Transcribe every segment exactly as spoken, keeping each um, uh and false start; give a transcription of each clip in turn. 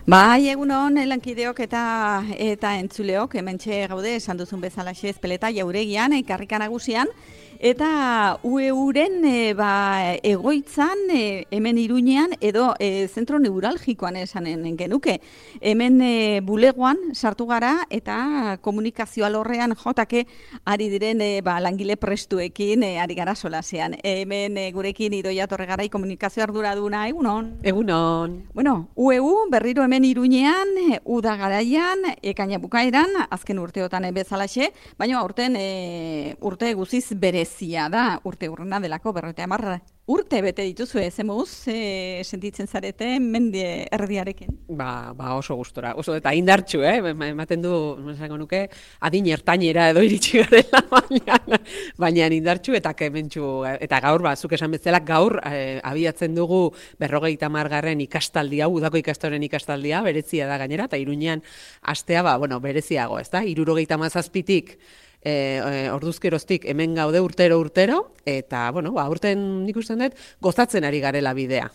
Bai, egunon, lankideok eta eta entzuleok, hementxe gaude, esan duzun bezalaxe Ezpeleta jauregian, karrika nagusian, eta U E Uren e, ba, egoitzan, e, hemen Iruñean, edo e, zentro neuralgikoan esanen genuke. Hemen e, bulegoan sartu gara, eta komunikazio alorrean jotake ari diren e, ba, langile prestuekin e, ari gara solasean. Hemen e, gurekin Idoia Torregarai komunikazio arduraduna, egunon. Egunon. Bueno, U E U berriro hemen Iruñean, uda garaian, ekaina bukaeran, azken urteotan bezalaxe, baina aurten e, urte guziz berezia da, urte urrena delako berroita hamar urte bete dituzu, ez emuz, e, sentitzen zarete mende erdiarekin? Ba, ba oso gustora, oso eta indartxu, eh? Ematen du, esango nuke, adin ertainera edo iritsi garela, baina, baina indartxu eta kementxu, eta gaur, ba, zuk esan bezala, gaur eh, abiatzen dugu berrogeita hamargarren ikastaldia, udako ikastoren ikastaldia, berezia da gainera, eta Iruñean astea, ba, bueno, bereziago, ez da? Hirurogeita hamazazpitik E, e, orduzkeroztik hemen gaude urtero urtero, eta, bueno, ba, urten nik usten dut, gozatzen ari garela bidea.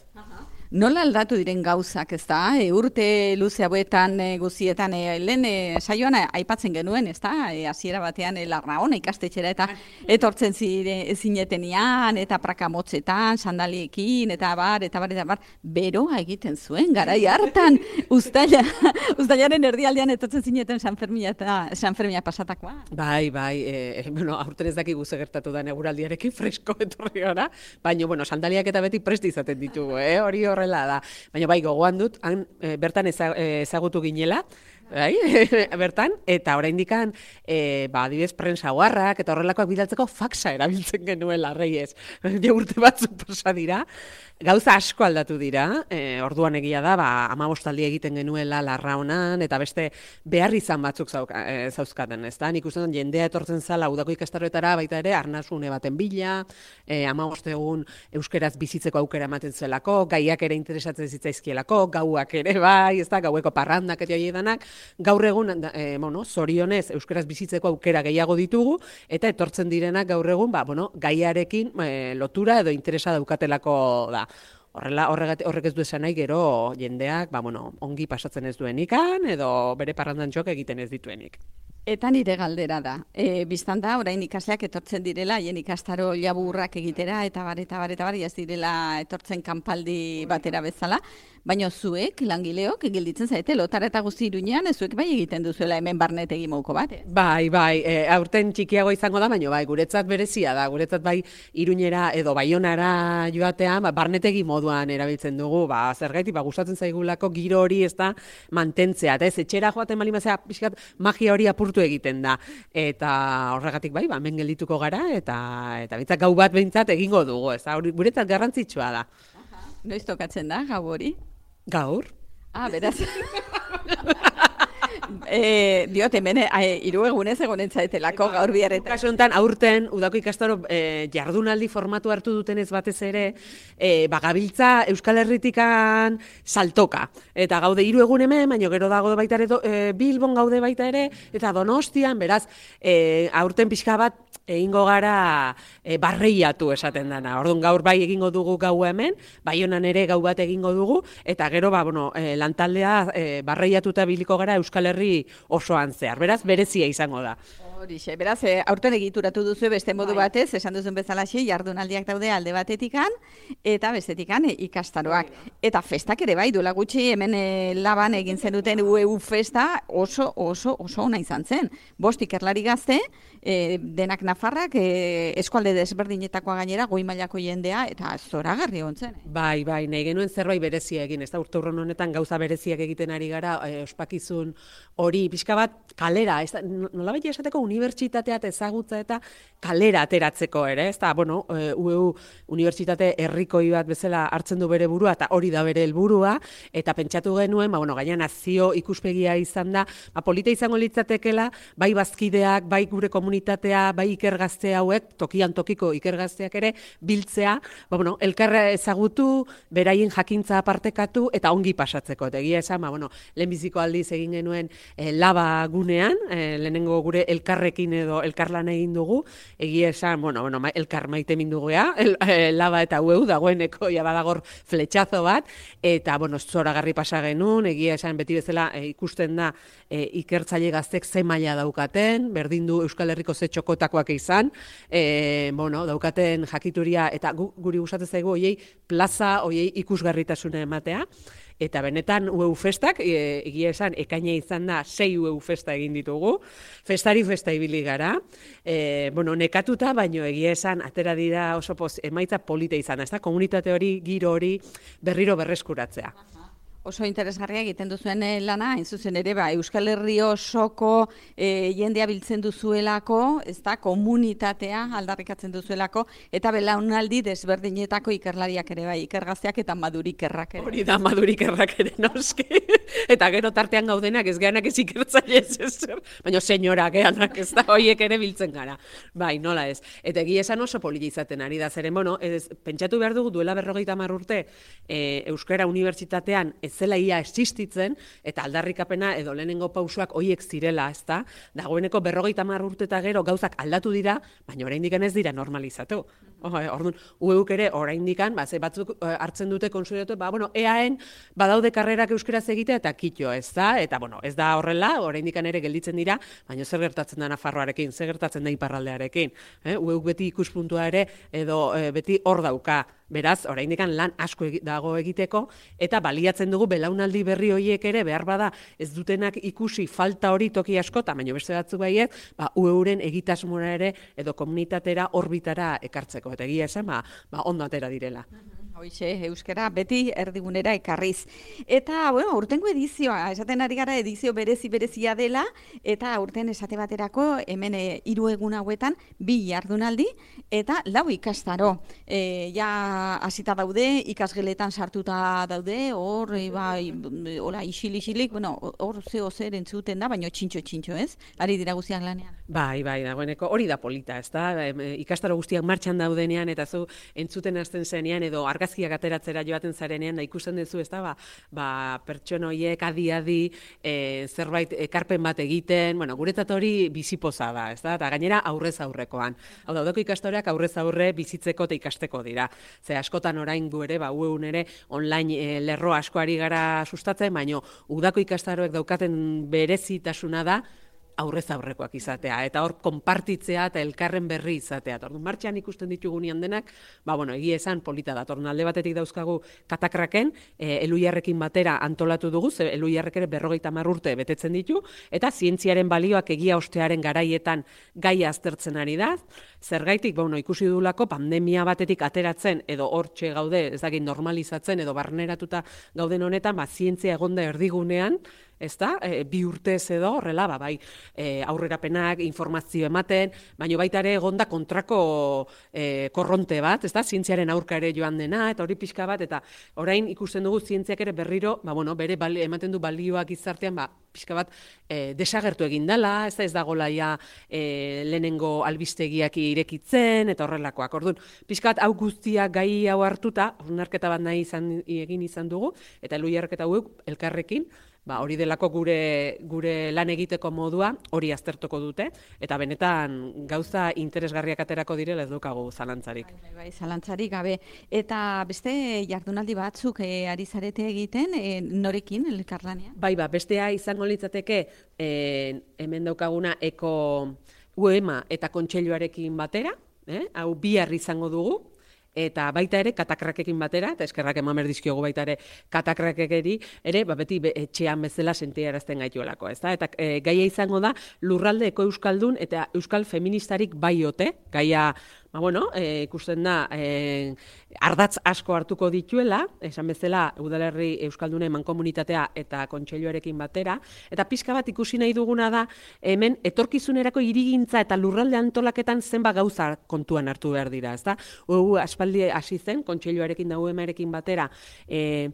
Nola aldatu diren gauzak, ez da? E, urte luze hauetan e, guzietan, e, lehen e, saioan aipatzen genuen, ez da? E, hasiera batean e, Larraona ikastetxera eta etortzen zire zinetenian, eta prakamotzetan, sandaliekin, eta bar, eta bar, eta bar, beroa egiten zuen, garai hartan, ustaila, ustailaren erdialdean etortzen zineten San Fermina eta San Fermina pasatakoa. Bai, bai, e, bueno, aurten ez dakigu ze gertatu da eguraldiarekin fresko etorri gara, baina, bueno, sandaliak eta beti prest izaten ditugu, eh? Hori hor da. Baina bai, gogoan dut, han, e, bertan ezagutu ginela, bai, bertan, eta oraindikan e, ba, adibidez, prensa guarrak, eta horrelakoak bidaltzeko faxa erabiltzen genuela, Reyes. Ja urte batzuk pasa dira. Gauza asko aldatu dira, e, orduan egia da, ba, hamabostaldi egiten genuela Larraonan, eta beste behar izan batzuk zauka, e, zauzkaten, ez da? Nik uste dut, jendea etortzen zala udako ikastaroetara, baita ere, arnasune baten bila, e, hamabost egun euskeraz bizitzeko aukera ematen zuelako, gaiak ere interesatzen zitzaizkielako, gauak ere bai, ez da, gaueko parrandak eta danak, gaur egun, e, bueno, zorionez, euskeraz bizitzeko aukera gehiago ditugu, eta etortzen direnak gaur egun, ba, bueno, gaiarekin e, lotura edo interesa daukatelako da. Horrela, horrek ez du esan nahi gero jendeak, ba, bueno, ongi pasatzen ez duenikan, edo bere parrandantxoak egiten ez dituenik. Eta nire galdera da, e, biztan da, orain ikasleak etortzen direla, hien ikastaro laburrak egitera, eta bar, eta bar, eta bar, ez direla etortzen kanpaldi batera bezala, baina zuek, langileok, gelditzen zaite, lotara eta guzti Iruñean, zuek bai egiten duzuela hemen barnetegi mouko bat. Eh? Bai, bai, e, aurten txikiago izango da, baina bai, guretzat berezia da, guretzat bai Iruñera edo Baionara joatean, ba, barnetegi moduan erabiltzen dugu, ba, zergaitik, ba, gustatzen zaigulako giro hori ez da mantentzea, eta ez, etxera joaten bali mazea, pixkat, magia hori apurtu egiten da, eta horregatik bai, ba, hemen geldituko gara, eta eta bintzat gau bat behintzat egingo dugu, ez da, guretzat garrantzitsua da. Aha. Noiz tokatzen da, gau hori? Gaur. Ah, beraz. E, diot, hemen e, hiru egunez egonen zaetelako gaur biarretan. Kasu honetan, aurten, udako ikastaro e, jardunaldi formatu hartu dutenez batez ere, e, bagabiltza Euskal Herritikan saltoka. Eta gaude hiru egun hemen, baina gero dago baita ere, e, Bilbon gaude baita ere, eta Donostian, beraz, e, aurten pixka bat, egingo gara e, barreiatu esaten dana. Orduan gaur bai egingo dugu gau hemen, Baionan ere gau bat egingo dugu, eta gero, ba, bueno, e, lantaldea e, barreiatuta biliko gara Euskal Herri osoan zehar. Beraz, berezia izango da. Horixe, beraz, e, aurten egituratu duzu beste modu bai. Batez, esan duzun bezalaxe, jardunaldiak daude alde batetikan, eta bestetikan e, ikastaroak. Bai. Eta festak ere bai, duela gutxi hemen e, laban egin zenuten U E U festa oso, oso, oso ona izan zen. Bost ikerlari gazte, e, denak Nafarrak, e, eskualde desberdinetakoa gainera, goi mailako jendea, eta zoragarri ontzen. Eh? Bai, bai, nahi genuen zerbait berezia egin, ez da urte urron honetan gauza bereziak egiten ari gara, e, ospakizun hori, pixka bat, kalera, ez da, nolabait esateko unibertsitatea ezagutza eta kalera ateratzeko ere, ez da, bueno, e, U E U unibertsitate herrikoi bat bezala hartzen du bere burua, eta hori da bere helburua, eta pentsatu genuen, ba, bueno, gaina nazio ikuspegia izan da, ba, polita izango litzatekela, bai bazkideak, bai gure komunitatea, bai ikergazte hauek, tokian tokiko ikergazteak ere, biltzea, ba, bueno, elkarra ezagutu, beraien jakintza apartekatu, eta ongi pasatzeko, eta egia esan, ba, bueno, lehenbiziko aldiz egin genuen e, laba gunean, e, lehenengo gure elkar elkarrekin edo elkarlan egin dugu, egia esan, bueno, bueno, elkar maite mindugea, el, el, laba eta ueu, dagoeneko ja badagor fletxazo bat, eta, bueno, zoragarri pasa genuen, egia esan beti bezala e, ikusten da e, ikertzaile gaztek ze maila daukaten, berdin du Euskal Herriko ze txokotakoak izan, e, bueno, daukaten jakituria, eta gu, guri gustatzen zaigu, oiei plaza, oiei ikusgarritasuna ematea, eta benetan U E U festak, e, egia esan, ekaina izan da, sei U E U festa egin ditugu, festari festa ibili gara, e, bueno, nekatuta, baino egia esan, atera dira oso poz, emaitza polita izan da, ez da, komunitate hori, giro hori, berriro berreskuratzea. Oso interesgarria egiten duzuen lana, hain zuzen ere, ba, Euskal Herri osoko e, jendea biltzen duzuelako, ez da, komunitatea aldarrikatzen duzuelako, eta belaunaldi desberdinetako ikerlariak ere, bai, ikergazteak eta madurikerrak ere. Hori da, madurikerrak ere, noski. Eta gero tartean gaudenak ez geanak ez ikertzaile ez ezer, baina senyorak geanak ez da, hoiek ere biltzen gara. Bai, nola ez. Eta egia esan oso polita izaten ari da, zeren, bueno, ez, pentsatu behar dugu duela berrogeita hamar urte e, Euskara Unibertsitatean ez zela ia existitzen, eta aldarrikapena edo lehenengo pausoak hoiek zirela, ez da? Dagoeneko berrogeita hamar urte eta gero gauzak aldatu dira, baina oraindik ez dira normalizatu. Orduan, U E Uk ere oraindik ba, ze batzuk hartzen dute konsideratu, ba, bueno, eaen badaude karrerak euskeraz egitea eta kitxo, ez da? Eta, bueno, ez da horrela, oraindik ere gelditzen dira, baina zer gertatzen da Nafarroarekin, zer gertatzen da iparraldearekin. Eh? U E Uk beti ikuspuntua ere, edo e, beti hor dauka. Beraz, oraindik lan asko dago egiteko, eta baliatzen dugu belaunaldi berri horiek ere, behar bada ez dutenak ikusi falta hori toki askota, baina beste batzuk baiet, ba, U E Uren egitasmora ere, edo komunitatera, orbitara ekartzeko. Eta egia esan, ba, ba, ondo atera direla. Hoixe, euskara beti erdigunera ekarriz. Eta, bueno, urtengo edizioa, esaten ari gara edizio berezi berezia dela, eta urten esate baterako, hemen e, hiru egun hauetan, bi jardunaldi, eta lau ikastaro. E, ja, hasita daude, ikasgeletan sartuta daude, hor, e, bai, hola, isil-isilik, bueno, hor zeo zer entzuten da, baina txintxo-txintxo, ez? Ari dira guztiak lanean. Bai, bai, dagoeneko, hori da polita, ez da? Ikastaro guztiak martxan daudenean, eta zu entzuten hasten zenean, edo argazkiak ateratzera joaten zarenean, da ikusten duzu, ez da, ba, ba, pertsona horiek adi-adi e, zerbait ekarpen bat egiten, bueno, guretzat hori bizipoza da, ez da, eta gainera aurrez aurrekoan. Hau da, udako ikastoreak aurrez aurre bizitzeko eta ikasteko dira. Ze askotan orain gu ere, ba, U E Un ere, online e, lerro asko ari gara sustatzen, baino udako ikastaroek daukaten berezitasuna da, aurrez aurrekoak izatea, eta hor konpartitzea eta elkarren berri izatea. Orduan, martxan ikusten ditugunean denak, ba, bueno, egia esan polita da. Orduan, alde batetik dauzkagu katakraken, e, Eluiarrekin batera antolatu dugu, ze Eluiarrek ere berrogeita hamar urte betetzen ditu, eta zientziaren balioak egia ostearen garaietan gaia aztertzen ari da. Zergaitik, bueno, ikusi dugulako pandemia batetik ateratzen, edo hortxe gaude, ez dakit normalizatzen, edo barneratuta gauden honetan, ba, zientzia egonda erdigunean, ez da, e, bi urtez edo, horrela, ba, bai, e, aurrerapenak, informazio ematen, baina baita ere egonda kontrako e, korronte bat, ez da, zientziaren aurka ere joan dena, eta hori pixka bat, eta orain ikusten dugu zientziak ere berriro, ba, bueno, bere bali, ematen du balioak gizartean, ba, pixka bat e, desagertu egin dela, ez da, ez dagoela ja e, lehenengo albistegiak irekitzen, eta horrelakoak. Orduan, pixka bat hau guztiak gai hau hartuta, onarketa bat nahi izan, egin izan dugu, eta Eluiarrek eta U E Uk elkarrekin, ba, hori delako gure, gure lan egiteko modua, hori aztertuko dute, eta benetan gauza interesgarriak aterako direla ez dukagu zalantzarik. Bai, bai, zalantzarik gabe. Eta beste jardunaldi batzuk e, ari zarete egiten, e, norekin, elkarlanean? Bai, ba, bestea izango litzateke, e, hemen daukaguna eko U E M A eta kontseiluarekin batera, eh? Hau bihar izango dugu, eta baita ere katakrakekin batera, eta eskerrak eman berdizkiogu baita ere katakrakekeri, ere, ba, beti be, etxean bezala sentiarazten gaituelako, ez da? Eta e, gaia izango da lurralde eko euskaldun eta euskal feministarik baiote, gaia, ba, bueno, e, ikusten da, e, ardatz asko hartuko dituela, esan bezala udalerri euskaldunen mankomunitatea eta kontseiluarekin batera, eta pixka bat ikusi nahi duguna da, hemen etorkizunerako hirigintza eta lurralde antolaketan zenba gauza kontuan hartu behar dira, ez da? U E U aspaldi hasi zen, kontseiluarekin da U E M Arekin batera, e,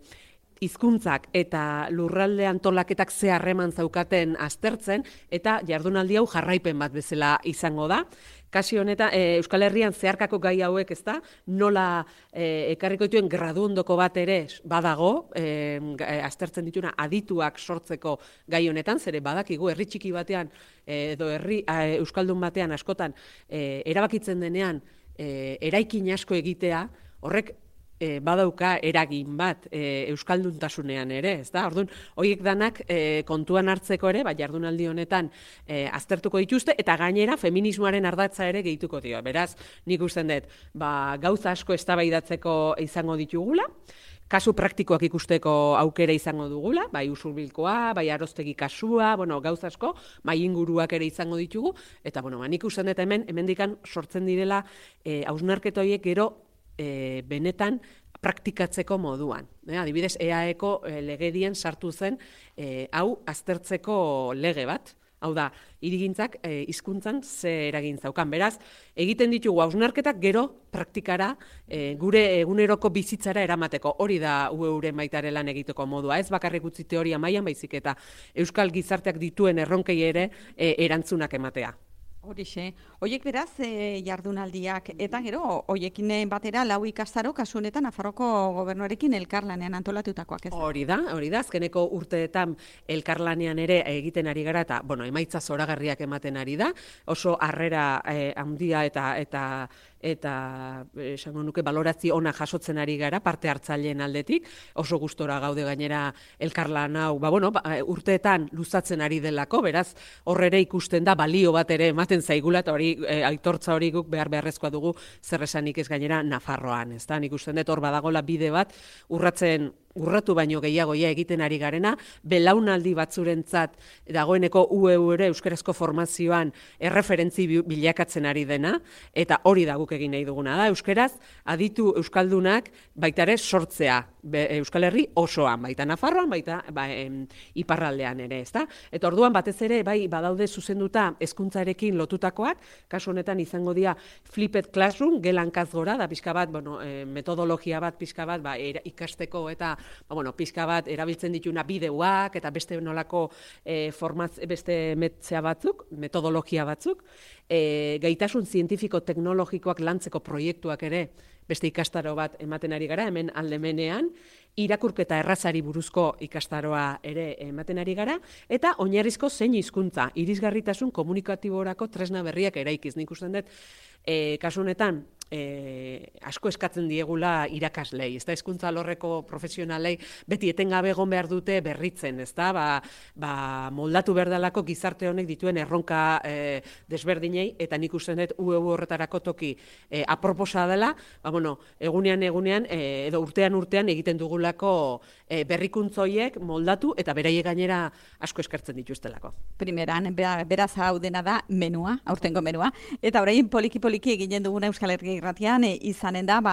hizkuntzak eta lurralde antolaketak ze harreman zaukaten aztertzen, eta jardunaldi hau jarraipen bat bezala izango da. Kasi honetan, e, Euskal Herrian zeharkako gai hauek, ez da, nola e, ekarriko dituen graduondoko bat ere badago, e, aztertzen dituna adituak sortzeko gai honetan, zere badakigu herri txiki batean, e, edo herri e, Euskaldun batean askotan, e, erabakitzen denean, e, eraikin asko egitea, horrek E, badauka eragin bat e, euskalduntasunean ere, ez da? Orduan, horiek danak e, kontuan hartzeko ere, ba, jardunaldi honetan e, aztertuko dituzte, eta gainera feminismoaren ardatza ere gehituko dio. Beraz, nik usten dut, ba, gauza asko eztabaidatzeko izango ditugula, kasu praktikoak ikusteko aukera izango dugula, bai usurbilkoa, bai aroztegi kasua, bueno, gauza asko, mai inguruak ere izango ditugu, eta bueno, ba, nik usten dut hemen, hemendikan sortzen direla e, hausnarketa horiek gero E, benetan praktikatzeko moduan. E, adibidez, E A Eko e, legedien sartu zen e, hau aztertzeko lege bat. Hau da, hirigintzak e, hizkuntzan ze eragin zaukan. Beraz, egiten ditugu hausnarketak gero praktikara e, gure eguneroko bizitzara eramateko. Hori da U E uren baitare lan egiteko modua. Ez bakarrik utzi teoria mailan baizik eta euskal gizarteak dituen erronkei ere e, erantzunak ematea. Horixe, horiek beraz e, jardunaldiak, eta gero, horiekin batera lau ikastaro kasu honetan Nafarroko gobernuarekin elkarlanean antolatutakoak ez. Hori da, hori da, azkeneko urteetan elkarlanean ere egiten ari gara, eta, bueno, emaitza zoragarriak ematen ari da, oso harrera eh, handia eta eta eta esango nuke balorazio ona jasotzen ari gara parte hartzaileen aldetik, oso gustora gaude gainera elkarlan hau, ba, bueno, ba, urteetan luzatzen ari delako, beraz, horrere ikusten da balio bat ere ematen zaigula, eta hori e, aitortza hori guk behar beharrezkoa dugu zer esanik ez gainera Nafarroan, ez da, nik usten dut hor badagola bide bat urratzen urratu baino gehiagoia egiten ari garena, belaunaldi batzurentzat dagoeneko U E U ere euskarazko formazioan erreferentzi bilakatzen ari dena, eta hori da guk egin nahi duguna da, euskaraz aditu euskaldunak baita ere sortzea, be, Euskal Herri osoan, baita Nafarroan, baita ba, em, iparraldean ere, ezta? Eta orduan batez ere bai badaude zuzenduta hezkuntzarekin lotutakoak, kasu honetan izango dira flipped classroom, gelankaz gora, da pixka bat, bueno, e, metodologia bat pixka bat, ba, era, ikasteko eta ba, bueno, pixka bat erabiltzen dituna bideoak eta beste nolako e, formaz, beste metzea batzuk, metodologia batzuk, e, gaitasun zientifiko teknologikoak lantzeko proiektuak ere beste ikastaro bat ematen ari gara, hemen aldemenean, irakurketa errazari buruzko ikastaroa ere ematen ari gara, eta oinarrizko zein hizkuntza, irisgarritasun komunikatiborako tresna berriak eraikiz. Nik usten dut, e, kasu honetan, E, asko eskatzen diegula irakaslei, ez da, hezkuntza alorreko profesionalei beti etengabe egon behar dute berritzen, ez da, ba, ba, moldatu berdalako gizarte honek dituen erronka e, desberdinei, eta nik usten dut U E U horretarako toki e, aproposa dela, ba, bueno, egunean egunean, e, edo urtean urtean egiten dugulako e, berrikuntzoiek moldatu, eta beraiek gainera asko eskertzen dituztelako. Primeran, beraz hau dena da menua, aurtengo menua, eta orain poliki-poliki eginen duguna Euskal Herria irratian e, izanen da ba,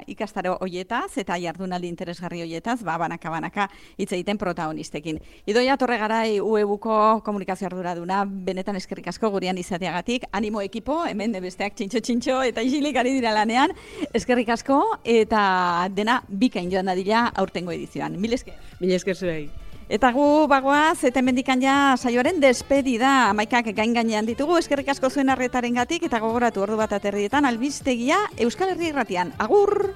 ikastaro hoietaz eta jardunaldi interesgarri hoietaz ba, banaka-banaka hitz egiten protagonistekin. Idoia Torregarai U E Uko komunikazio arduraduna, benetan eskerrik asko gurean izateagatik, animo ekipo, hemen besteak txintxo-txintxo eta isilik ari dira lanean, eskerrik asko eta dena bikain joan dadila aurtengo edizioan. Mil esker. Mil esker zuei. Eta gu bagoaz, eta mendikan ja saioaren despedida, amaikak gain gainean ditugu, eskerrik asko zuen arretarengatik eta gogoratu ordu bat aterrietan albistegia Euskal Herria irratian. Agur!